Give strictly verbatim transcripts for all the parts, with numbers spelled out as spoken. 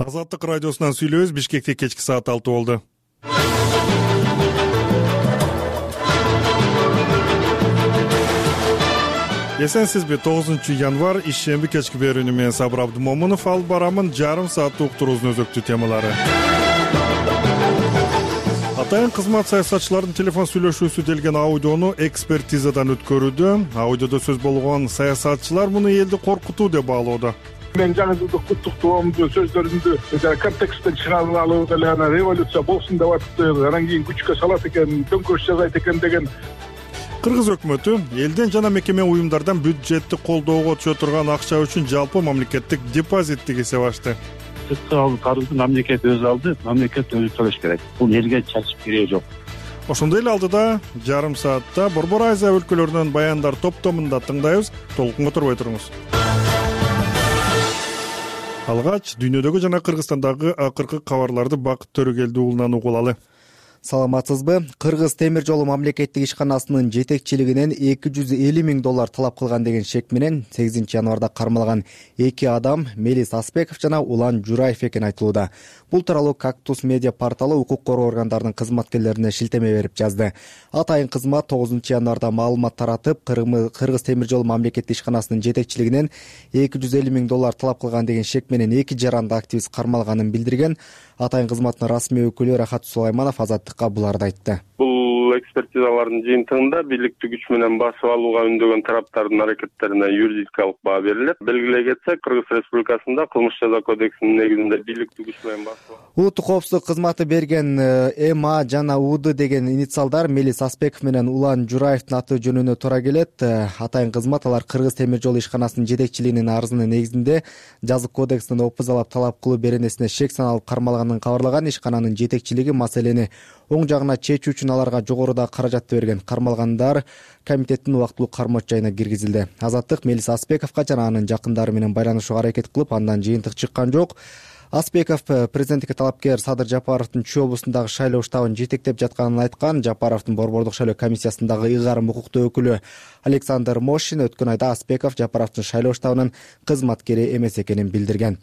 Азаттык радиосунан сүйлөбүз. Бишкекте кечки саат алты болду. Эсенсизби? тогузунчу январь ишемби кечки берүүнү менен Сабыр Абдымомунов алып барамын. Жарым сааттык уктуруубуздун өзөктүү темалары. Атайын кызмат саясатчылардын телефон сүйлөшүүсү делген аудиону экспертизадан өткөрүүдө. Аудиодо сөз болгон саясатчылар муну элди коркутуу деп баалоодо. Мен жаңы жылдык куттуктоомду сөздөрүмдү контексттен чыгарып алып эле ана революция болсун деп атты, анан кийин күчкө салат экен, төңкөрүш жасайт экен деген. Кыргыз өкмөтү элден жана мекеме уюмдардан бюджетти колдоого түшө турган акча үчүн жалпы мамлекеттик депозиттик эсеп ачты. Сырткы карызды мамлекет өзү алды, мамлекет өзү төлөш керек. Бул элге чачып кереги жок. Ошондой эле алдыда жарым саатта Борбор Азия өлкөлөрүнөн баяндар топтомунда тыңдайбыз. Толкунга турбай туруңуз. Алгач дүйнөдөгү жана Кыргызстандагы акыркы кабарларды Бакыт Төрөгелди уулунан угулалы. Саламатсызбы? Кыргыз темир жолу мамлекеттик ишканасынын жетекчилигинен эки жүз элүү миң доллар талап кылган деген шек менен сегизинчи январда кармалган эки адам Мелис Аспеков жана Улан Жураев экени айтылууда. Бул тууралуу Кактус медиа порталы укук коргоо органдарынын кызматкерлерине шилтеме берип жазды. Атайын кызмат тогузунчу январда маалымат таратып, Кыргыз темир жолу мамлекеттик ишканасынын жетекчилигинен эки жүз элүү миң доллар талап кылган деген шек менен эки жаранды активист кармалганын билдирген. Атайын кызматтын расмий өкүлү Рахат Сулайманов Азаттыкка буларды айтты. Бул экспертизалардын жыйынтыгында бийликтик күч менен басып алууга үндөгөн тараптардын аракеттерине юридикалык баа берилет. Белгилей кетсек, Кыргыз Республикасында кылмыш жаза кодексинин негизинде бийликтик күч менен басып улуттук коопсуздук кызматы берген Эм А жана У Д деген инициалдар Мелис Аспеков менен Улан Жураевдин аты жөнүнө туура келет. Атайын кызмат алар Кыргыз темир жолу ишканасынын жетекчилигинин арызынын негизинде жазык кодекстин опузалап талап кылуу беренесине шек саналып кармалганын кабарлаган. Ишкананын жетекчилиги маселени оң жагына чечүү үчүн аларга жогоруда каражатты берген. Кармалгандар комитеттин убактылуу кармоочу жайына киргизилди. Азаттык Мелис Аспековго жана анын жакындары менен байланышууга аракет кылып, андан жыйынтык чыккан жок. Аспеков президенттикке талапкер Садыр Жапаровдун Чүй облусундагы шайлоо штабын жетектеп жатканын айткан. Жапаровдун Борбордук шайлоо комиссиясындагы ыйгарым укуктуу өкүлү Александр Мошин өткөн айда Аспеков Жапаровдун шайлоо штабынын кызматкери эмес экенин билдирген.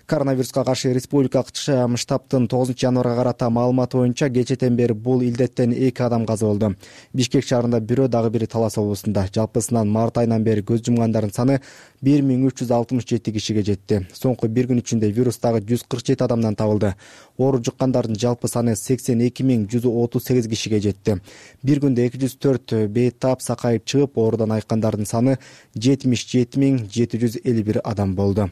Коронавируска каршы республикалык штабтын тогузунчу январга карата маалыматы боюнча кечэтен бери бул илдеттен эки адам каза болду. Бишкек шаарында бирөө, дагы бири Талас облусунда. Жалпысынан март айынан бери көз жумгандардын саны бир миң үч жүз алтымыш жети кишиге жетти. Соңку бир күн ичинде вирустагы жүз кырк жети адамдан табылды. Оору жуккандардын жалпы саны сексен эки миң жүз отуз сегиз кишиге жетти. Бир күндө эки жүз төрт бейтап сакайып чыгып, оорудан айыккандардын саны жетимиш жети миң жети жүз элүү бир адам болду.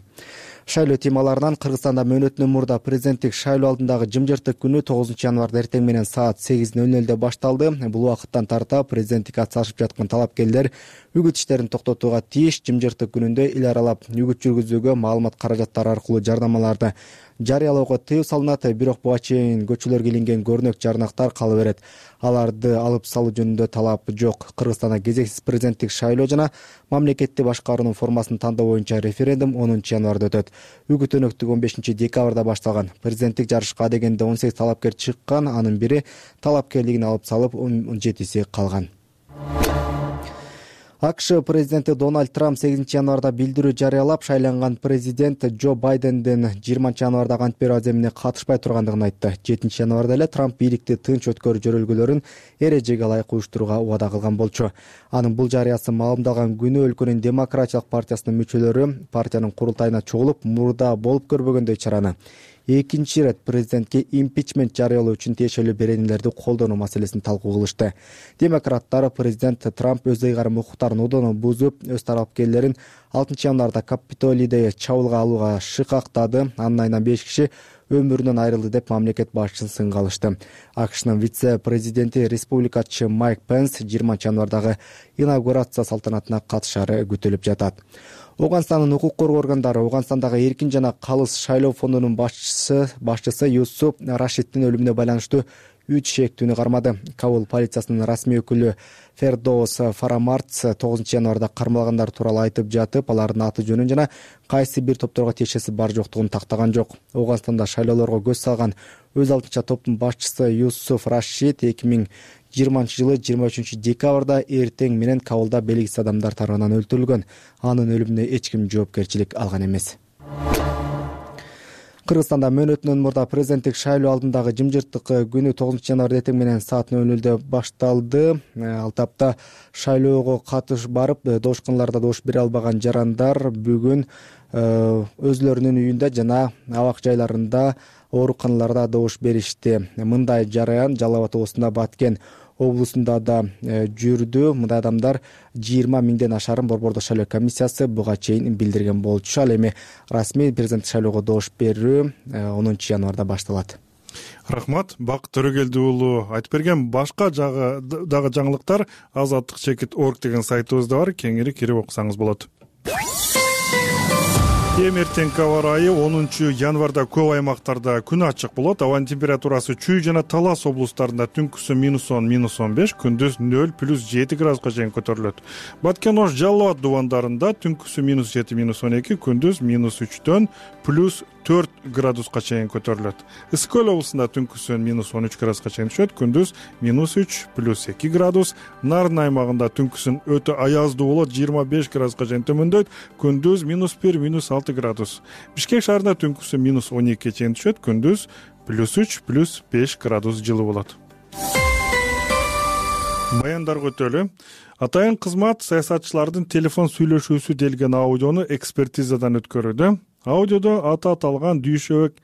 Шайлоо темаларынан Кыргызстанда мөөнөтүнөн мурда президенттик шайлоо алдындагы жымжыртык күнү тогузунчу январда эртең менен саат сегиз ноль нольдо башталды. Бул убакыттан тарта президенттикке атсалышып жаткан талапкерлер үгүт иштерин токтотууга тийиш. Жымжыртык күнүндө эл аралап үгүт жүргүзүүгө маалымат каражаттары аркылуу жардамаларды жарыялоого тыюу салынат. Бирок буга чейин көчөлөргө илинген көрнөк жарнактар кала берет. Аларды алып салуу жөнүндө талап жок. Кыргызстанда кезексиз президенттик шайлоо жана мамлекетти башкаруунун формасын тандоо боюнча референдум онунчу январда өтөт. Үгүт өнөктүк он бешинчи декабрда башталган. Президенттик жарышка дегенде он сегиз талапкер чыккан. Анын бири талапкерлигин алып салып, он жетиси калган. АКШ президенти Дональд Трамп сегизинчи январда билдирүү жарыялап, шайланган президент Джо Байдендин жыйырманчы январдагы ант берүү аземине катышпай тургандыгын айтты. жетинчи январда эле Трамп бийликти тынч өткөрүү жөрөлгөлөрүн эрежеге ылайык уюштурууга убада кылган болчу. Анын бул жарыясы маалымдалган күнү өлкөнүн Демократиялык партиясынын мүчөлөрү партиянын курултайына чогулуп, мурда болуп көрбөгөндөй чараны экинчи ирет президентке импичмент жарыялоо үчүн тиешелүү беренелерди колдонуу маселесин талкуу кылышты. Демократтар президент Трамп өз ыйгарым укуктарын одоно бузуп, өз талапкерлерин алтынчы январда Капитолийде чабуулга алууга шыкактады. Анын айынан беш киши өмүрүнөн айрылды деп мамлекет башчысын сынга алышты. АКШнын вице-президенти республикачы Майк Пенс жыйырманчы январдагы инаугурация салтанатына катышары күтүлүп жатат. Оганстандын укук коргоо органдары Оганстандагы эркин жана калыс шайлоо фондунун башчысы башчысы Юсуп Рашиддин өлүмүнө байланыштуу үч шектүүнү кармады. Кабул полициясынын расмий өкүлү Фердоус Фарамартс тогузунчу январда кармалгандар тууралуу айтып жатып, алардын аты жөнүн жана кайсы бир топторго тиешеси бар жоктугун тактаган жок. Оганстанда шайлоолорго көз салган өз алдынча топтун башчысы Юсуф Рашид эки миң жыйырманчы жылы жыйырма үчүнчү декабрда эртең менен Кабулда белгисиз адамдар тарабынан өлтүрүлгөн. Анын өлүмүнө эч ким жоопкерчилик алган эмес. Кыргызстанда мөөнөтүнөн мурда президенттик шайлоо алдындагы жымжырттык күнү тогузунчу январда эртең менен саат нөл нөлдө башталды. Ал тапта шайлоого катыш барып добушканаларда добуш бере албаган жарандар бүгүн өзүлөрүнүн үйүндө жана абак жайларында, ооруканаларда добуш беришти. Мындай жараян Жалал Абад облусунда Баткен облусунда да жүрдү. Мындай адамдар жыйырма миңден ашарын Борбордук шайлоо комиссиясы буга чейин билдирген болчу. Ал эми расмий президенттик шайлоого добуш берүү онунчу январда башталат. Рахмат, Бакыт Төрөгелди уулу айтып берген. Башка жагы дагы жаңылыктар азаттык чекит точка орг деген сайтыбызда бар. Кеңири кирип окусаңыз болот. Эми эртеңки аба ырайы онунчу январда көп аймактарда күн ачык болот. Абанын температурасы Чүй жана Талас облустарында түнкүсү минус он, минус он беш, күндүз нөл плюс жети градуска чейин көтөрүлөт. Баткен, Ош, Жалал Абад дубандарында түнкүсү минус жети, минус он эки, күндүз минус үчтөн плюс төрт градуска чейин көтөрүлөт. Ысык Көл облусунда түнкүсү минус он үч градуска чейин түшөт, күндүз минус үч плюс эки градус. Нарын аймагында түнкүсүн өтө аяздуу болот, жыйырма беш градуска чейин төмөндөйт, күндүз минус бир, минус алты градус. Бишкек шаарында түнкүсү минус он экиге чейин түшөт, күндүз плюс үч плюс беш градус жылы болот. Баяндарга өтөлү. Атайын кызмат саясатчылардын телефон сүйлөшүүсү делген аудиону экспертизадан өткөрүүдө. Аудиодо аты аталган Дүйшөбек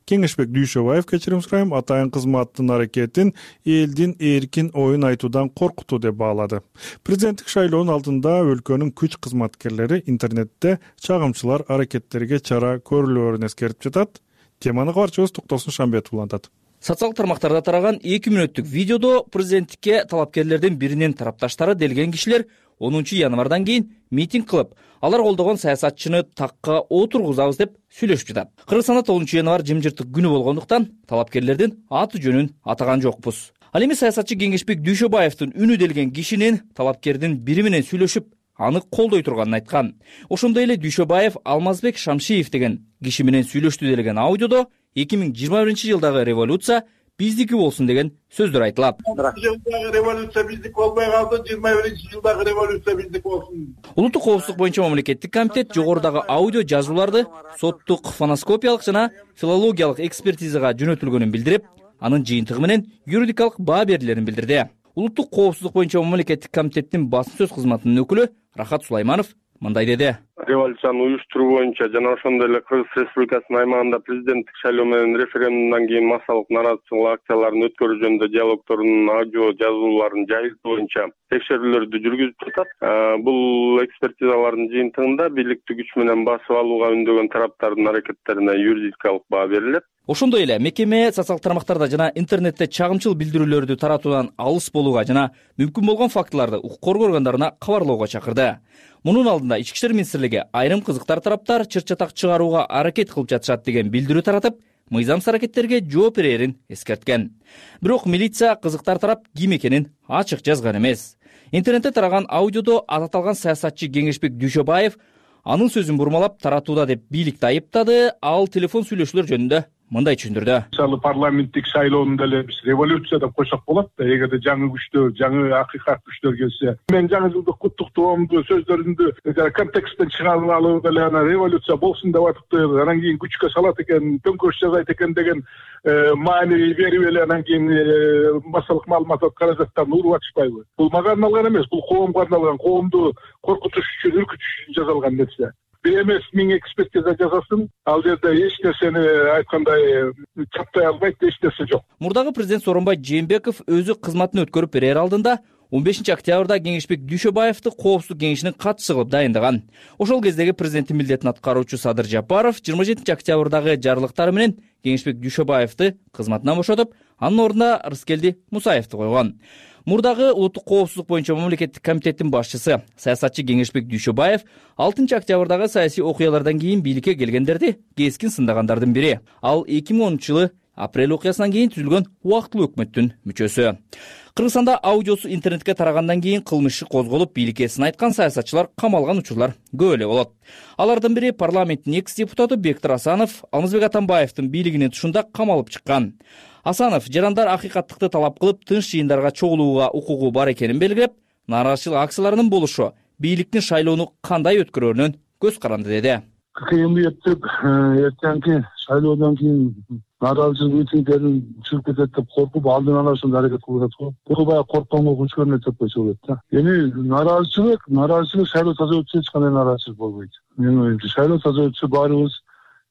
Кеңешбек Дүйшөбаев, кечирим сурайм, атайын кызматтын аракетин элдин эркин оюн айтуудан коркутуу деп баалады. Президенттик шайлоонун алдында өлкөнүн күч кызматкерлери интернетте чагымчылар аракеттерге чара көрүлөөрүн эскертип жатат. Теманы кабарчыбыз Токтосун Шамбетов улантат. Социалдык тармактарда тараган эки мүнөттүк видеодо президенттикке талапкерлердин биринин тарапташтары делген кишилер онунчу январдан кийин митинг кылып, алар колдогон саясатчыны такка отургузабыз деп сүйлөшүп жатат. Кыргызстанда тогузунчу январ жымжырттык күнү болгондуктан талапкерлердин аты жөнүн атаган жокпуз. Ал эми саясатчы Кеңешбек Дүйшөбаевдин үнү делген кишинин талапкердин бири менен сүйлөшүп, аны колдой турганын айткан. Ошондой эле Дүйшөбаев Алмазбек Шамшиев деген киши менен сүйлөштү делген аудиодо эки миң жыйырма биринчи жылдагы революция биздики болсун деген сөздөр айтылат. Жылдагы революция биздики болбой калды, жыйырма биринчи жылдагы революция биздики болсун. Улуттук коопсуздук боюнча мамлекеттик комитет жогорудагы аудио жазууларды соттук фоноскопиялык жана филологиялык экспертизага жөнөтүлгөнүн билдирип, анын жыйынтыгы менен юридикалык баа берилерин билдирди. Улуттук коопсуздук боюнча мамлекеттик комитеттин басым сөз кызматынын өкүлү Рахат Сулайманов мындай деди. Революцияны уюштуруу боюнча жана ошондой эле Кыргыз Республикасынын аймагында президенттик шайлоо менен референдумдан кийин массалык нааразычылык акцияларын өткөрүү жөнүндө диалогтордун аудио жазууларын жайылтуу боюнча текшерүүлөрдү жүргүзүп жатат. Бул экспертизалардын жыйынтыгында бийликтик күч менен басып алууга үндөгөн тараптардын аракеттерине юридикалык баа берилет. Ошондой эле мекеме социалдык тармактарда жана интернетте чагымчыл билдирүүлөрдү таратуудан алыс болууга жана мүмкүн болгон фактыларды укук коргоо органдарына кабарлоого чакырды. Мунун алдында Ички иштер министрлиги айрым кызыктар тараптар чыр-чатак чыгарууга аракет кылып жатышат деген билдирүү таратып, мыйзамсыз аракеттерге жооп берерин эскерткен. Бирок милиция кызыктар тарап ким экенин ачык жазган эмес. Интернетте тараган аудиодо аталган саясатчы Кеңешбек Дүйшөбаев анын сөзүн бурмалап таратууда деп бийликти айыптады. Ал телефон сүйлөшүүлөр жөнүндө мындай түшүндүрдү. Мисалы парламенттик шайлоону деле биз революция деп койсок болот да, эгерде жаңы күчтөр, жаңы акыйкат күчтөр келсе. Мен жаңы жылдык куттуктоомду сөздөрүмдү контексттен чыгарып алып эле ана революция болсун деп атыптыр, анан кийин күчкө салат экен, төңкөрүш жасайт экен деген маани берип эле анан кийин массалык маалыматтар каражаттарын уруп атышпайбы? Бул мага арналган эмес, бул коомго арналган, коомду коркутуш үчүн, үркүтүш үчүн жасалган нерсе. Бир эмес миң экспертиза жасасын, ал жерде эч нерсени айткандай чаптай албайт, эч нерсе жок. Мурдагы президент Сооронбай Жээнбеков өзү кызматын өткөрүп берер алдында он бешинчи октябрда Кеңешбек Дүйшөбаевди коопсуздук кеңешинин катчысы кылып дайындаган. Ошол кездеги президенттин милдетин аткаруучу Садыр Жапаров жыйырма жетинчи октябрдагы жарлыктары менен Кеңешбек Дүйшөбаевди кызматынан бошотуп, анын ордуна Рыскелди Мусаевди койгон. Мурдагы улуттук коопсуздук боюнча мамлекеттик комитеттин башчысы саясатчы Кеңешбек Дүйшөбаев алтынчы октябрдагы саясий окуялардан кийин бийликке келгендерди кескин сындагандардын бири. Ал эки миң онунчу жылы апрель окуясынан кийин түзүлгөн убактылуу өкмөттүн мүчөсү. Кыргызстанда аудиосу интернетке тарагандан кийин кылмыш иши козголуп, бийликке сын айткан саясатчылар камалган учурлар көп эле болот. Алардын бири парламенттин экс депутаты Бектир Асанов Алмазбек Атамбаевдин бийлигинин тушунда камалып чыккан. Асанов жарандар акыйкаттыкты талап кылып, тынч жыйындарга чогулууга укугу бар экенин белгилеп, нааразычылык акцияларынын болушу бийликтин шайлоону кандай өткөрөөрүнөн көз каранды деди. Кыйын өтүп, эртеңки шайлоодон кийин нааразычылык митингдерин чыгып кетет деп коркуп алдын ала ошондой аракет кылып атат го. Бул баягы коркконго күч көрүнөт деп койсо болот да. Эми нааразычылык, нааразычылык шайлоо таза өтсө эч кандай нааразычылык болбойт. Менин оюмча шайлоо таза өтсө баарыбыз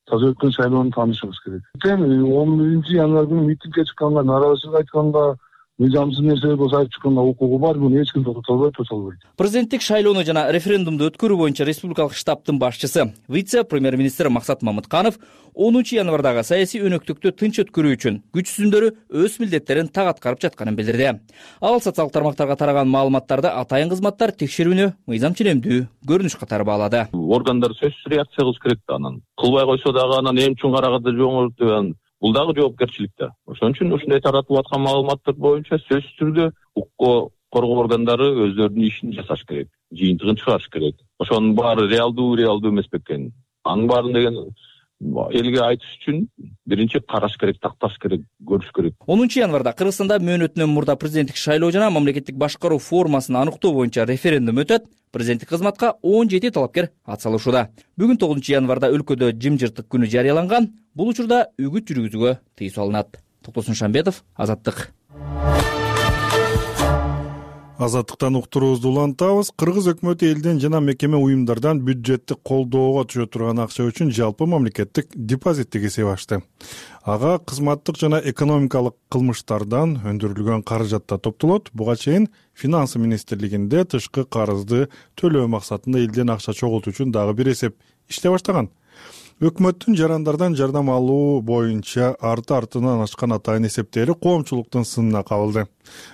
таза өткөн шайлоону таанышыбыз керек. он биринчи январь күнү митингге чыкканга, нааразычылык айтканга, мыйзамсыз нерселер болсо айтып чыкканга укугу бар, муну эч ким токтото албайт, токтото албайт. Президенттик шайлоону жана референдумду өткөрүү боюнча республикалык штабтын башчысы, вице-премьер-министр Максат Мамытканов онунчу январдагы саясий өнөктүктү тынч өткөрүү үчүн күч түзүмдөрү өз милдеттерин так аткарып жатканын билдирди. Ал социалдык тармактарга тараган маалыматтарды атайын кызматтар текшерүүнү мыйзам ченемдүү көрүнүш катары баалады. Органдар сөзсүз реакция кылыш керек да, анан кылбай койсо дагы анан эми үчүн караганда жоңортуп бул дагы жоопкерчилик да. Ошон үчүн ушундай таратылып аткан маалыматтар боюнча сөзсүз түрдө укук коргоо органдары өздөрүнүн ишин жасаш керек, жыйынтыгын чыгарыш керек. Ошонун баары реалдуу, реалдуу эмес бекен. Анын баарын деген элге айтыш үчүн биринчи караш керек, такташ керек, көрүш керек. онунчу январда Кыргызстанда мөөнөтүнөн мурда президенттик шайлоо жана мамлекеттик башкаруу формасын аныктоо боюнча референдум өтөт. Президенттик кызматка он жети талапкер атсалышууда. Бүгүн тогузунчу январда өлкөдө жымжырттык күнү жарыяланган. Бул учурда үгүт жүргүзүүгө тыюу салынат. Токтосун Шамбетов, Азаттык. Азаттыктан уктуруубузду улантабыз. Кыргыз өкмөтү элден жана мекеме уюмдардан бюджеттик колдоого түшө турган акча үчүн жалпы мамлекеттик депозиттик эсеп ачты. Ага кызматтык жана экономикалык кылмыштардан өндүрүлгөн каражат да топтолот. Буга чейин Финансы министрлигинде тышкы карызды төлөө максатында элден акча чогултуу үчүн дагы бир эсеп иштей баштаган. Өкмөттүн жарандардан жардам алуу боюнча арты-артынан ачкан атайын эсептери коомчулуктун сынына кабылды.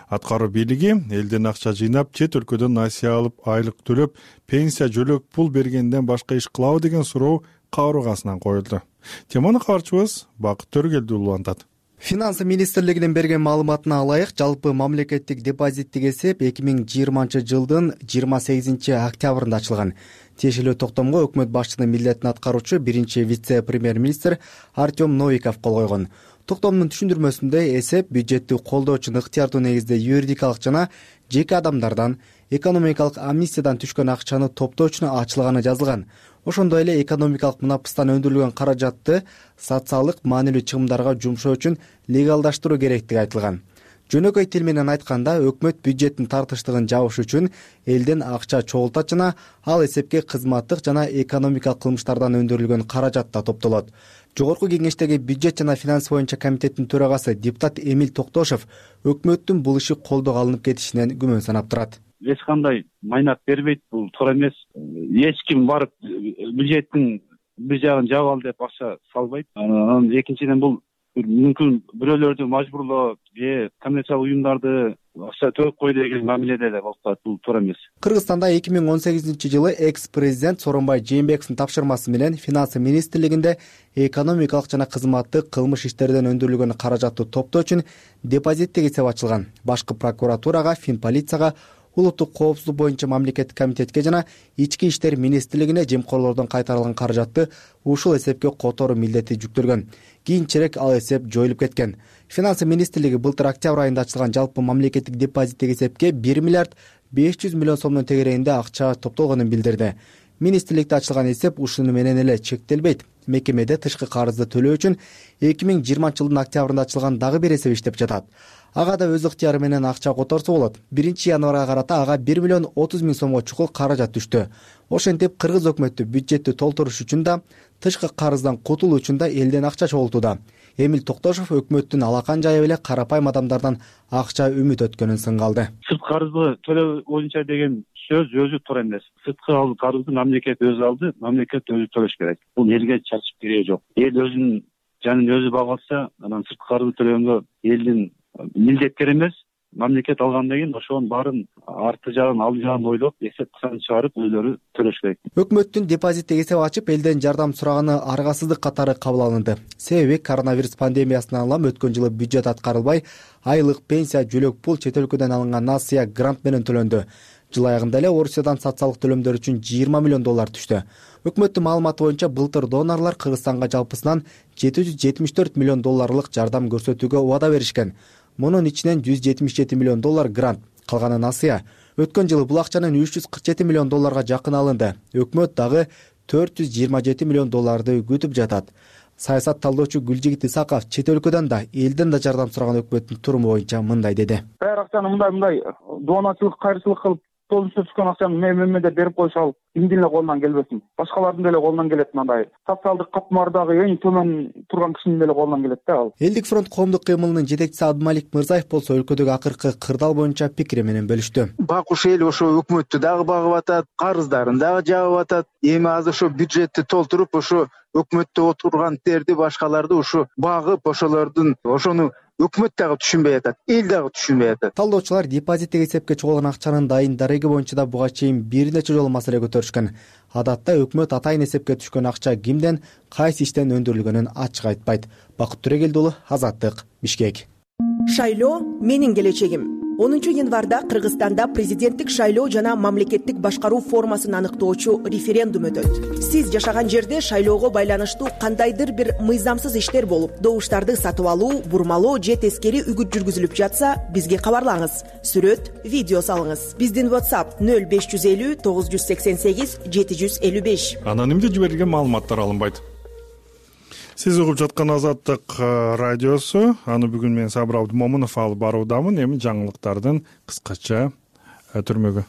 Аткаруу бийлиги элден акча жыйнап, чет өлкөдөн насыя алып, айлык төлөп, пенсия, жөлөк пул бергенден башка иш кылабы деген суроо кабыргасынан коюлду. Теманы кабарчыбыз Бакыт Төргелдүү улантат. Финансы министрлигинин берген маалыматына алайык, жалпы мамлекеттик депозиттик эсеп эки миң жыйырманчы жылдын жыйырма сегизинчи октябрында ачылган. Тиешелүү токтомго өкмөт башчысынын милдетин аткаруучу биринчи вице-премьер-министр Артем Новиков кол койгон. Токтомдун түшүндүрмөсүндө эсеп бюджетти колдоо үчүн ыктыярдуу негизде юридикалык жана жеке адамдардан экономикалык амнистиядан түшкөн акчаны топтоо үчүн ачылганы жазылган. Ошондой эле экономикалык мунапыстан өндүрүлгөн каражатты социалдык маанилүү чыгымдарга жумшоо үчүн легалдаштыруу керектиги айтылган. Жөнөкөй тил менен айтканда, өкмөт бюджеттин тартыштыгын жабыш үчүн элден акча чогултат жана ал эсепке кызматтык жана экономикалык кылмыштардан өндүрүлгөн каражат да топтолот. Жогорку кеңештеги бюджет жана финанс боюнча комитеттин төрагасы депутат Эмиль Токтошов өкмөттүн бул иши колдоого алынып кетишинен күмөн санап турат. Эч кандай майнат бербейт, бул туура эмес. Эч ким барып бюджеттин бир жагын жаап ал деп акча салбайт. Анан экинчиден бул мүмкүн бирөөлөрдү мажбурлоо же коммерциялык уюмдарды акча төлөп кой деген мамиледе эле болуп калат. Бул туура эмес. Кыргызстанда эки миң он сегизинчи жылы экс-президент Сооронбай Жээнбековдун тапшырмасы менен Финансы министрлигинде экономикалык жана кызматтык кылмыш иштерден өндүрүлгөн каражатты топтоо үчүн депозиттик эсеп ачылган. Башкы прокуратурага, Финполицияга, улуттук коопсуздук боюнча мамлекеттик комитетке жана ички иштер министрлигине жемкорлордон кайтарылган каражатты ушул эсепке которуу милдети жүктөлгөн. Кийинчерээк ал эсеп жоюлуп кеткен. Финансы министрлиги былтыр октябрь айында ачылган жалпы мамлекеттик депозиттик эсепке бир миллиард беш жүз миллион сомдун тегерегинде акча топтолгонун билдирди. Министрликте ачылган эсеп ушуну менен эле чектелбейт. Мекемеде тышкы карызды төлөө үчүн эки миң жыйырманчы жылдын октябрында ачылган дагы бир эсеп иштеп жатат. Ага да өз ыктыяры менен акча которсо болот. биринчи январга карата ага бир миллион отуз миң сомго чукул каражат түштү. Ошентип кыргыз өкмөтү бюджетти толтуруш үчүн да, тышкы карыздан кутулуу үчүн да элден акча чогултууда. Эмиль Токтошов өкмөттүн алакан жайып эле карапайым адамдардан акча үмүт өткөнүн сынга алды. Сырткы карызды төлөө боюнча деген сөз өзү туура эмес. Сырткы карызды мамлекет өзү алды, мамлекет өзү төлөш керек. Бул элге чачып кереги жок. Эл өзүнүн жанын өзү багалса, анан сырткы карызды төлөгөнгө элдин милдеттер эмес, мамлекет алгандан кийин ошонун баарын арты жагын, алды жагын ойлоп, эсеп кысаны чыгарып өзүлөрү төлөш керек. Өкмөттүн депозиттик эсеп ачып элден жардам сураганы аргасыздык катары кабыл алынды. Себеби коронавирус пандемиясынан улам өткөн жылы бюджет аткарылбай, айлык, пенсия, жөлөк пул, чет өлкөдөн алынган насыя, грант менен төлөндү. Жыл аягында эле Орусиядан социалдык төлөмдөр үчүн жыйырма миллион доллар түштү. Өкмөттүн маалыматы боюнча былтыр донорлор Кыргызстанга жалпысынан жети жүз жетимиш төрт миллион долларлык жардам көрсөтүүгө убада беришкен. Мунун ичинен жүз жетимиш жети миллион доллар грант, калганы насыя. Өткөн жылы бул акчанын үч жүз кырк жети миллион долларга жакын алынды. Өкмөт дагы төрт жүз жыйырма жети миллион долларды күтүп жатат. Саясат талдоочу Гүлжигит Исаков чет өлкөдөн да элден да жардам сураган өкмөттүн туруму боюнча мындай деди. Баары акчаны мындай мындай доноочулук, кайрчылык кылып толугунча түшкөн акчаны мен деп берип койсо кимдин эле колунан келбесин. Башкалардын деле колунан келет, мындай социалдык катмардагы эң төмөн турган кишинин деле колунан келет да ал. Элдик фронт коомдук кыймылынын жетекчиси Абдымалик Мырзаев болсо өлкөдөгү акыркы кырдаал боюнча пикири менен бөлүштү. Бакуш эл ошо өкмөттү дагы багып атат, карыздарын дагы жаап атат. Эми азыр ошо бюджетти толтуруп, ошо өкмөттө отургантерди, башкаларды ошо багып, ошолордун ошону өкмөт дагы түшүнбөй атат, эл дагы түшүнбөй атат. Талдоочулар депозиттик эсепке чогулган акчанын дайын дареги боюнча да буга чейин бир нече жолу маселе көтөрүшкөн. Адатта өкмөт атайын эсепке түшкөн акча кимден, кайсы иштен өндүрүлгөнүн ачык айтпайт. Бакыт Төрегелди уулу, Азаттык, Бишкек. Шайлоо менин келечегим. онунчу январда Кыргызстанда президенттик шайлоо жана мамлекеттик башкаруу формасын аныктоочу референдум өтөт. Сиз жашаган жерде шайлоого байланыштуу кандайдыр бир мыйзамсыз иштер болуп, добуштарды сатып алуу, бурмалоо же тескери үгүт жүргүзүлүп жатса, бизге кабарлаңыз. Сүрөт, видео салыңыз. Биздин WhatsApp нөл беш жүз элүү тогуз жүз сексен сегиз жети жүз элүү беш. Анонимдүү жиберилген маалыматтар алынбайт. Сиз угуп жаткан Азаттык радиосу. Аны бүгүн мен Сабыр Абдымомунов алып баруудамын. Эми жаңылыктардын кыскача түрмөгү.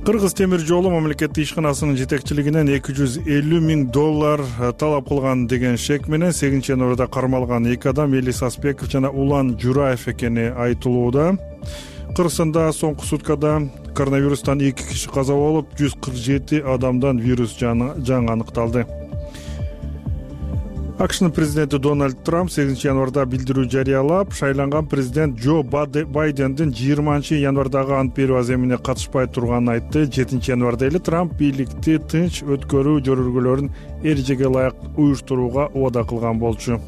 Кыргыз темир жолу мамлекеттик ишканасынын жетекчилигинен эки жүз элүү миң доллар талап кылган деген шек менен сегизинчи январда кармалган эки адам Эли Саспеков жана Улан Жураев экени айтылууда. Кыргызстанда соңку суткада коронавирустан эки киши каза болуп, жүз кырк жети адамдан вирус жаңы аныкталды. АКШнын президенти Дональд Трамп сегизинчи январда билдирүү жарыялап, шайланган президент Джо Байдендин жыйырманчы январдагы ант берүү аземине катышпай турганын айтты. жетинчи январда эле Трамп бийликти тынч өткөрүү жөрөлгөлөрүн эрежеге ылайык уюштурууга убада кылган болчу.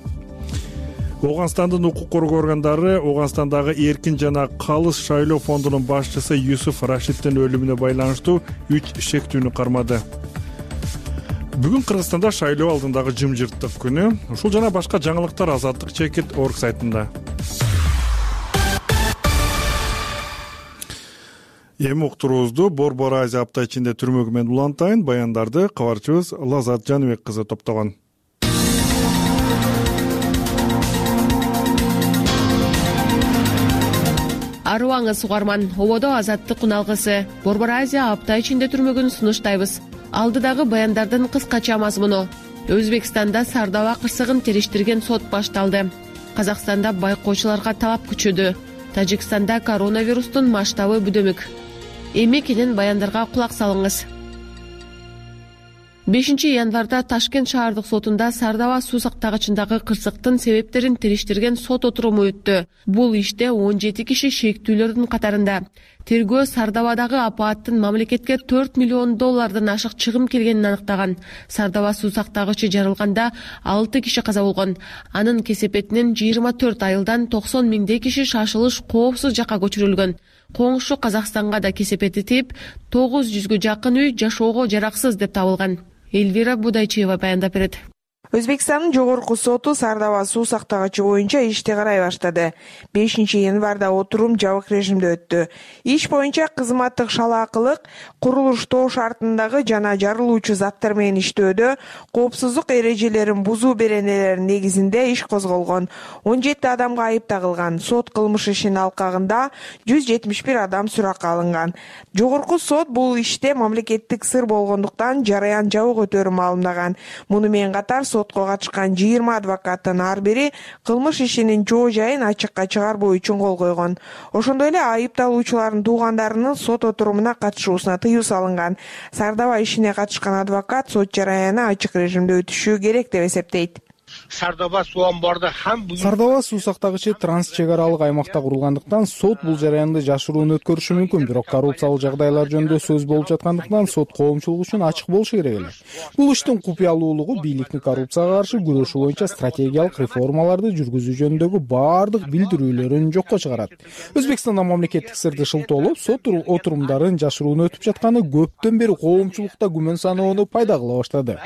Оганстандын укук коргоо органдары Оганстандагы эркин жана калыс шайлоо фондунун башчысы Юсуф Рашиддин өлүмүнө байланыштуу үч шектүүнү кармады. Бүгүн Кыргызстанда шайлоо алдындагы жымжырттык күнү. Ушул жана башка жаңылыктар Азаттык чекит орг сайтында. Эми уктуруубузду Борбор Азия апта ичинде түрмөгү менен улантайын. Баяндарды кабарчыбыз Лазат Жаныбек кызы топтогон. Арыбаңыз угарман, ободо Азаттык уналгысы. Борбор Азия апта ичинде түрмөгүн сунуштайбыз. Алдыдагы баяндардын кыскача мазмуну. Өзбекстанда Сардаба кырсыгын териштирген сот башталды. Казакстанда байкоочуларга талап күчөдү. Тажикстанда коронавирустун масштабы бүдөмүк. Эми кенен баяндарга кулак салыңыз. бешинчи январда Ташкент шаардык сотунда Сардаба суу сактагычындагы кырсыктын себептерин териштирген сот отуруму өттү. Бул иште он жети киши шектүүлөрдүн катарында. Тергөө Сардабадагы апааттын мамлекетке төрт миллион доллардан ашык чыгым келгенин аныктаган. Сардаба суу сактагычы жарылганда алты киши каза болгон. Анын кесепетинен жыйырма төрт айылдан токсон миңдей киши шашылыш коопсуз жакка көчүрүлгөн. Коңшу Казакстанга да кесепети тип, тогуз жүзгө жакын үй жашоого жараксыз деп табылган. Эльвира Будайчева баяндап берет. Өзбекстандын жогорку соту Сардаба суу сактагычы боюнча ишти карай баштады. бешинчи январда отурум жабык режимде өттү. Иш боюнча кызматтык шалаакылык, курулуштоо шартындагы жана жарылуучу заттар менен иштөөдө коопсуздук эрежелерин бузуу беренелеринин негизинде иш козголгон. он жети адамга айып тагылган. Сот кылмыш ишинин алкагында жүз жетимиш бир адам суракка алынган. Жогорку сот бул иште мамлекеттик сыр болгондуктан жараян жабык өтөрү маалымдаган. Муну менен катар сотко катышкан жыйырма адвокаттын ар бири кылмыш ишинин жоо жайын ачыкка чыгарбоо үчүн кол койгон. Ошондой эле айыпталуучулардын туугандарынын сот отурумуна катышуусуна тыюу салынган. Сардаба ишине катышкан адвокат сот жараяны ачык режимде өтүшү керек деп эсептейт. Сардоба суу амбарда һәм Сардоба суу сактагычы транс чек аралык аймакта курулгандыктан сот бул жараянды жашыруун өткөрүшү мүмкүн, бирок коррупциялык жагдайлар жөнүндө сөз болуп жаткандыктан сот коомчулук үчүн ачык болушу керек эле. Бул иштин купуялуулугу бийликтин коррупцияга каршы күрөшүү боюнча стратегиялык реформаларды жүргүзүү жөнүндөгү баардык билдирүүлөрүн жокко чыгарат. Өзбекстанда мамлекеттик сырды шылтоолоп, сот отурумдарын жашыруун өтүп жатканы көптөн бери коомчулукта күмөн саноону пайда кыла баштады,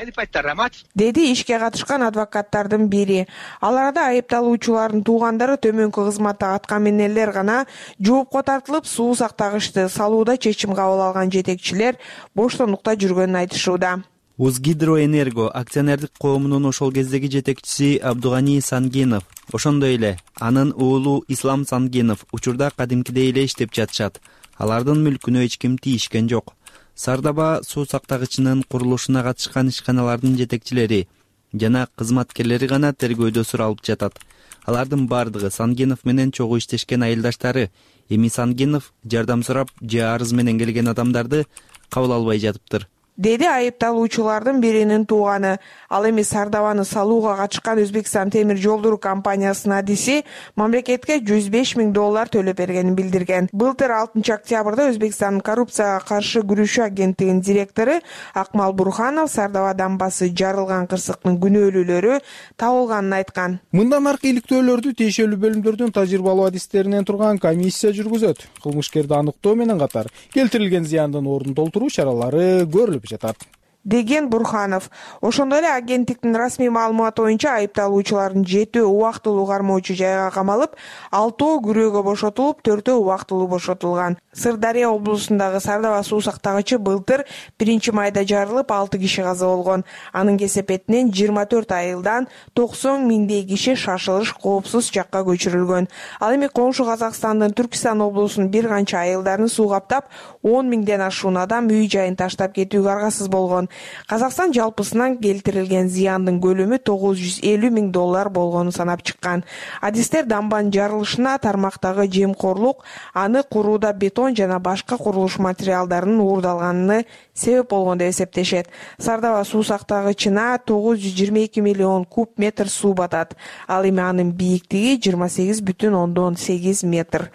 деди ишке катышкан адвокаттардын бири. Аларда айыпталуучулардын туугандары төмөнкү кызматта аткаминерлер гана жоопко тартылып, суу сактагычты салууда чечим кабыл алган жетекчилер боштондукта жүргөнүн айтышууда. Узгидроэнерго акционердик коомунун ошол кездеги жетекчиси Абдугани Сангенов, ошондой эле анын уулу Ислам Сангенов учурда кадимкидей эле иштеп жатышат. Алардын мүлкүнө эч ким тийишкен жок. Сардаба суу сактагычынын курулушуна катышкан ишканалардын жетекчилери жана кызматкерлери гана тергөөдө суралып жатат. Алардын бардыгы Сангенов менен чогуу иштешкен айылдаштары. Эми Сангенов жардам сурап же арыз менен келген адамдарды кабыл албай жатыптыр, деди айыпталуучулардын биринин тууганы. Ал эми Сардабаны салууга катышкан Өзбекстан темир жолдору компаниясынын адиси мамлекетке жүз беш миң доллар төлөп бергенин билдирген. Былтыр алтынчы октябрда Өзбекстандын коррупцияга каршы күрөшүү агенттигинин директору Акмал Бурханов Сардаба дамбасы жарылган кырсыктын күнөөлүүлөрү табылганын айткан. Мындан аркы иликтөөлөрдү тиешелүү бөлүмдөрдүн тажрыйбалуу адистеринен турган комиссия жүргүзөт. Кылмышкерди аныктоо менен катар келтирилген зыяндын ордун толтуруу чаралары көрүлүп жатат, деген Бурханов. Ошондой эле агенттиктин расмий маалыматы боюнча айыпталуучулардын жетөө убактылуу кармоочу жайга камалып, алтоо күрөөгө бошотулуп, төртөө убактылуу бошотулган. Сырдария облусундагы Сардаба суу сактагычы былтыр биринчи майда жарылып, алты киши каза болгон. Анын кесепетинен жыйырма төрт айылдан токсон миңдей киши шашылыш коопсуз жакка көчүрүлгөн. Ал эми коңшу Казакстандын Түркистан облусунун бир канча айылдарын суу каптап, он миңден ашуун адам үй жайын таштап кетүүгө аргасыз болгон. Казакстан жалпысынан келтирилген зыяндын көлөмү тогуз жүз элүү миң доллар болгонун санап чыккан. Адистер дамбанын жарылышына тармактагы жемкорлук, аны курууда бетон жана башка курулуш материалдарынын уурдалганына себеп болгон деп эсептешет. Сардаба суу сактагычына тогуз жүз жыйырма эки миллион куб метр суу батат. Ал эми анын бийиктиги жыйырма сегиз бүтүн ондон сегиз метр.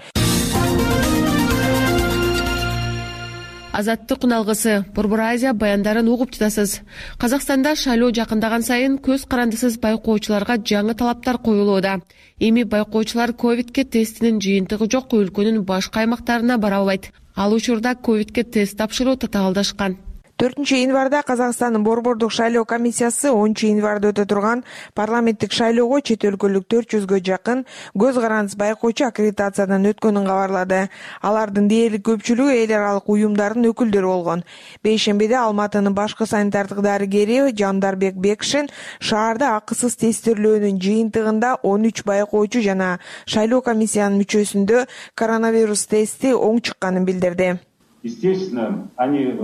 Азаттык куналгысы, Борбор Азия баяндарын угуп жатасыз. Казакстанда шайлоо жакындаган сайын көз карандысыз байкоочуларга жаңы талаптар коюлууда. Эми байкоочулар ковидке тестинин жыйынтыгы жок өлкөнүн башка аймактарына бара албайт. Ал учурда ковидке тест тапшыруу татаалдашкан. төртүнчү январда Казакстандын Борбордук шайлоо комиссиясы онунчу январда өтө турган парламенттик шайлоого чет өлкөлүк төрт жүзгө жакын көз карандысыз байкоочу аккредитациядан өткөнүн кабарлады. Алардын дээрлик көпчүлүгү эл аралык уюмдардын өкүлдөрү болгон. Бейшембиде Алматынын башкы санитардык дарыгери Жандарбек Бекшин шаарда акысыз тестирлөөнүн жыйынтыгында он үч байкоочу жана шайлоо комиссиянын мүчөсүндө коронавирус тести оң чыкканын билдирди. Естественно, они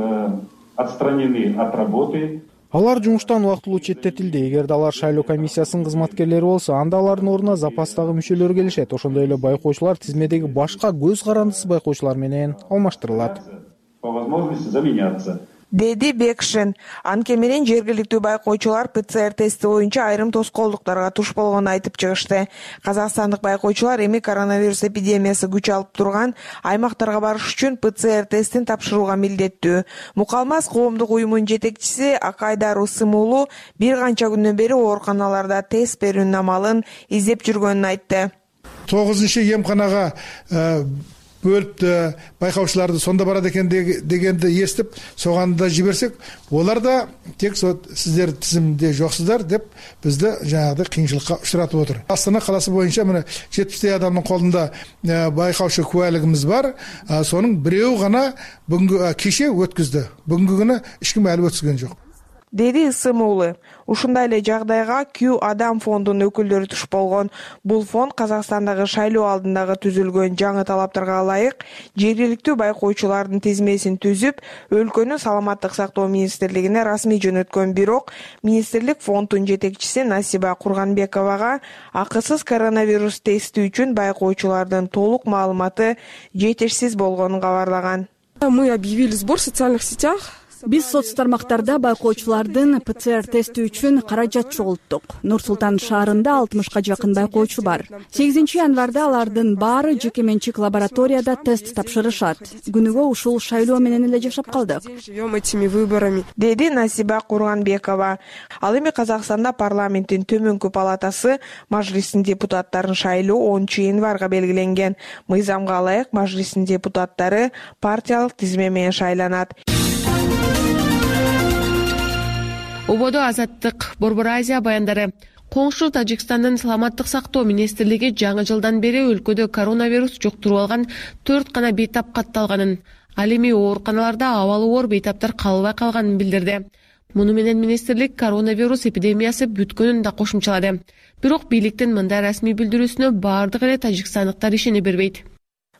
отстранены от работы. Алар жумуштан убактылуу четтетилди. Эгерде алар шайлоо комиссиясынын кызматкерлери болсо, анда алардын ордуна запастагы мүчөлөр келишет. Ошондой эле байкоочулар тизмедеги башка көз карандысыз байкоочулар менен алмаштырылат. По возможности заменяться. Деди Бекшин. Анткени менен жергиликтүү байкоочулар ПЦР тести боюнча айрым тоскоолдуктарга туш болгонун айтып чыгышты. Казакстандык байкоочулар эми коронавирус эпидемиясы күч алып турган аймактарга барыш үчүн ПЦР тестин тапшырууга милдеттүү. Мукалмаз коомдук уюмунун жетекчиси Акайдар Усымуулу бир канча күндөн бери ооруканаларда тест берүүнүн амалын издеп жүргөнүн айтты. тогузунчу эмканага бөлүп байкаучуларды сонда барат экен дегенди эстип, соганда жиберсек, олар да тек сиздер тизимде жоксуздар деп бизди жанагы кыйынчылыкка учуратып отур. Астана каласы боюнча мына жетимиштей адамдын колунда байкаучу кубайлыгыбыз бар. Сонун бирөө гана бүгүнкү киши өткүздү. Бүгүнкү күнү эч ким алып өткүзгөн жок, деди Ысымуулу. Ушундай эле жагдайга Q Адам фондунун өкүлдөрү туш болгон. Бул фонд Казакстандагы шайлоо алдындагы түзүлгөн жаңы талаптарга ылайык жергиликтүү байкоочулардын тизмесин түзүп, өлкөнүн саламаттык сактоо министрлигине расмий жөнөткөн. Бирок министрлик фонддун жетекчиси Насиба Курганбековага акысыз коронавирус тести үчүн байкоочулардын толук маалыматы жетишсиз болгонун кабарлаган. Мы объявили сбор в социальных сетях. Биз соц тармактарда байкоочулардын ПЦР тести үчүн каражат чогулттук. Нур Султан шаарында алтымышка жакын байкоочу бар. сегизинчи январда алардын баары жеке менчик лабораторияда тест тапшырышат. Күнүгө ушул шайлоо менен эле жашап калдык, живем этими выборами, деди Насиба Курганбекова. Ал эми Казакстанда парламенттин төмөнкү палатасы мажлисинин депутаттарын шайлоо онунчу январга белгиленген. Мыйзамга ылайык мажлисинин депутаттары партиялык тизме менен шайланат. Ободо Азаттык, Борбор Азия баяндары. Коңшу Тажикстандын саламаттык сактоо министрлиги жаңы жылдан бери өлкөдө коронавирус жуктуруп алган төрт гана бейтап катталганын, ал эми ооруканаларда абалы оор бейтаптар калбай калганын билдирди. Муну менен министрлик коронавирус эпидемиясы бүткөнүн да кошумчалады. Бирок бийликтин мындай расмий билдирүүсүнө баардык эле тажикстандыктар ишене бербейт.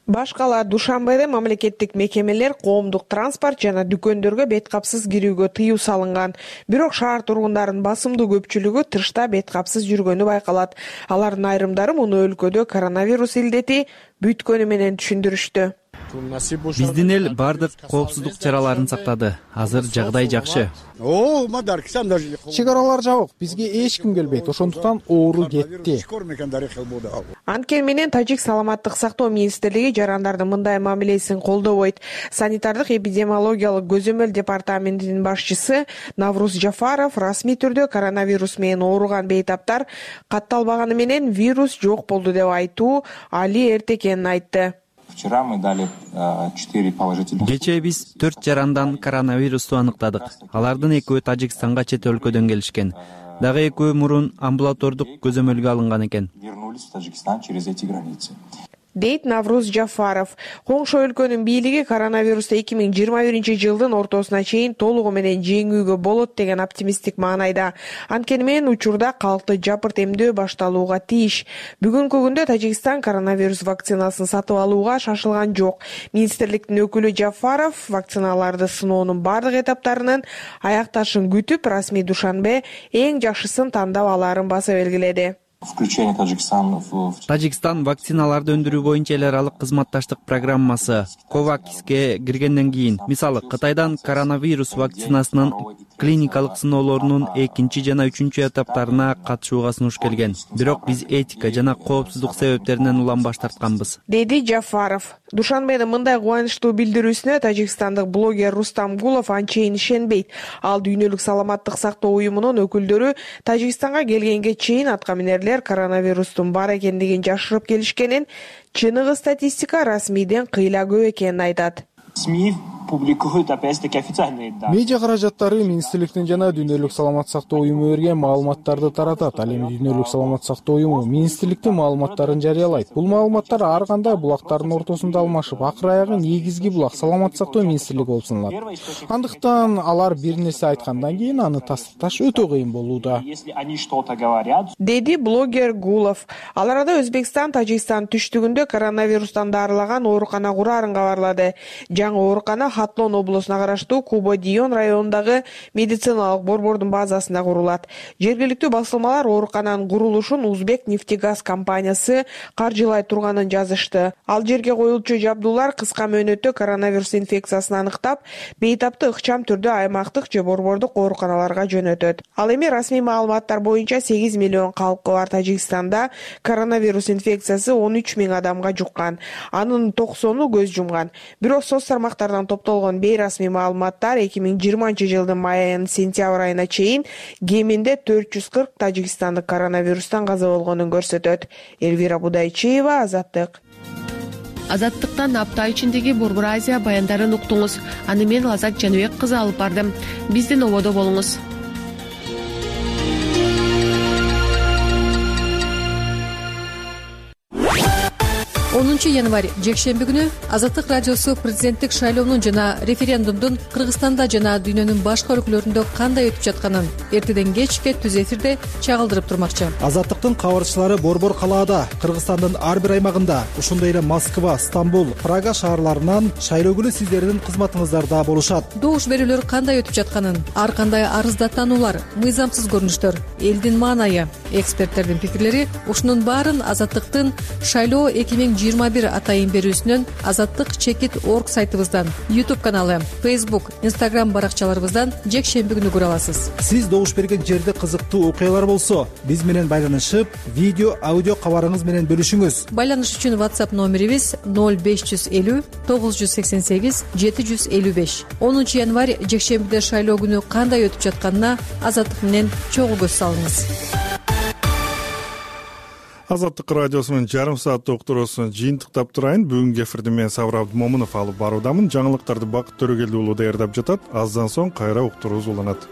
Башкала Душанбеде мамлекеттик мекемелер, коомдук транспорт жана дүкөндөргө беткапсыз кирүүгө тыюу салынган. Бирок шаар тургундарынын басымдуу көпчүлүгү тышта беткапсыз жүргөнү байкалат. Алардын айрымдары муну өлкөдө коронавирус илдети бүткөнү менен түшүндүрүштү. Биздин эл баардык коопсуздук чараларын сактады. Азыр жагдай жакшы. Чек аралар жабык, бизге эч ким келбейт, ошондуктан оору кетти. Анткени менен Тажик саламаттык сактоо министрлиги жарандардын мындай мамилесин колдобойт. Санитардык эпидемиологиялык көзөмөл департаментинин башчысы Навруз Жафаров расмий түрдө коронавирус менен ооруган бейтаптар катталбаганы менен вирус жок болду деп айтуу али эрте экенин айтты. Вчера мы дали четыре положительных. Кечээ биз төрт жарандан коронавирусту аныктадык. Алардын экөө Тажикстанга чет өлкөдөн келишкен. Дагы экөө мурун амбулатордук көзөмөлгө алынган экен. Вернулись в Таджикистан через эти границы. Дейт Навруз Жафаров. Коңшу өлкөнүн бийлиги коронавирусту эки миң жыйырма биринчи жылдын ортосуна чейин толугу менен жеңүүгө болот деген оптимисттик маанайда. Анткени менен учурда калкты жапырт эмдөө башталууга тийиш. Бүгүнкү күндө Тажикстан коронавирус вакцинасын сатып алууга шашылган жок. Министрликтин өкүлү Жафаров вакциналарды сыноонун бардык этаптарынын аякташын күтүп, расмий Душанбе эң жакшысын тандап алаарын баса белгиледи. Включение Таджикистана в... Тажикстан вакциналарды өндүрүү боюнча эл аралык кызматташтык программасы ковакске киргенден кийин, мисалы Кытайдан коронавирус вакцинасынын клиникалык сыноолорунун экинчи жана үчүнчү этаптарына катышууга сунуш келген. Бирок биз этика жана коопсуздук себептеринен улам баш тартканбыз, деди Жафаров. Душанбенин мындай кубанычтуу билдирүүсүнө тажикстандык блогер Рустам Гулов анчейин ишенбейт. Ал дүйнөлүк саламаттык сактоо уюмунун өкүлдөрү Тажикстанга келгенге чейин аткаминерлер коронавирустун бар экендигин жашырып келишкенин, чыныгы статистика расмийден кыйла көп экенин айтат. СМИ публикуют опять-таки официальные данные. Медиа каражаттары министрликтин жана дүйнөлүк саламаттык сактоо уюму берген маалыматтарды таратат. Ал эми дүйнөлүк саламаттык сактоо уюму министрликтин маалыматтарын жарыялайт. Бул маалыматтар ар кандай булактардын ортосунда алмашып, акыр аягы негизги булак саламаттык сактоо министрлиги болуп саналат. Андыктан алар бир нерсе айткандан кийин аны тастыкташ өтө кыйын болууда, Если они что-то говорят, деди блогер Гулов. Ал арада Өзбекстан Тажикстан түштүгүндө коронавирустан дарылаган оорукана кураарын кабарлады. Жаңы оорукана Хатлон облусуна караштуу Кубо-Дион районундагы медициналык борбордун базасында курулат. Жергиликтүү басылмалар оорукананын курулушун Узбек нефтегаз компаниясы каржылай турганын жазышты. Ал жерге коюлчу жабдуулар кыска мөөнөттө коронавирус инфекциясын аныктап, бейтапты ыкчам түрдө аймактык же борбордук ооруканаларга жөнөтөт. Ал эми расмий маалыматтар боюнча сегиз миллион калкы бар Тажикстанда коронавирус инфекциясы он үч миң адамга жуккан. Анын токсону көз жумган. Бирок соц тармактардан топтолгон бейрасмий маалыматтар эки миң жыйырманчы жылдын май айынан сентябрь айына чейин кеминде төрт жүз кырк тажикстандык коронавирустан каза болгонун көрсөтөт. Элвира Будайчиева, Азаттык. Азаттыктан апта ичиндеги Борбор Азия баяндарын уктуңуз. Аны мен Лазат Жаныбек кызы алып бардым. Биздин ободо болуңуз. онунчу январь жекшемби күнү Азаттык радиосу президенттик шайлоонун жана референдумдун Кыргызстанда жана дүйнөнүн башка өлкөлөрүндө кандай өтүп жатканын эртеден кечке түз эфирде чагылдырып турмакчы. Азаттыктын кабарчылары борбор калаада, Кыргызстандын ар бир аймагында, ошондой эле Москва, Стамбул, Прага шаарларынан шайлоо күнү сиздердин кызматыңыздарда болушат. Добуш берүүлөр кандай өтүп жатканын, ар кандай арыздаттануулар, мыйзамсыз көрүнүштөр, элдин маанайы, эксперттердин пикирлери, ушунун баарын Азаттыктын шайлоо эки миң жыйырма бир атайын берүүсүнөн азаттык чекит орг сайтыбыздан, YouTube каналы, Facebook, Instagram баракчаларыбыздан жекшемби күнү көрө аласыз. Сиз добуш берген жерде кызыктуу окуялар болсо, биз менен байланышып, видео, аудио кабарыңыз менен бөлүшүңүз. Байланыш үчүн WhatsApp номерибиз ноль беш жүз элүү тогуз жүз сексен сегиз жети жүз элүү беш. онунчу январь жекшембиде шайлоо күнү кандай өтүп жатканына Азаттык менен чогуу көз салыңыз. Азаттык радиосунун жарым сааттык уктуруусун жыйынтыктап турайын. Бүгүнкү эфирди мен Сабыр Абдымомунов алып баруудамын. Жаңылыктарды Бакыт Төрөгелди уулу даярдап жатат. Аздан соң кайра уктуруубуз уланат.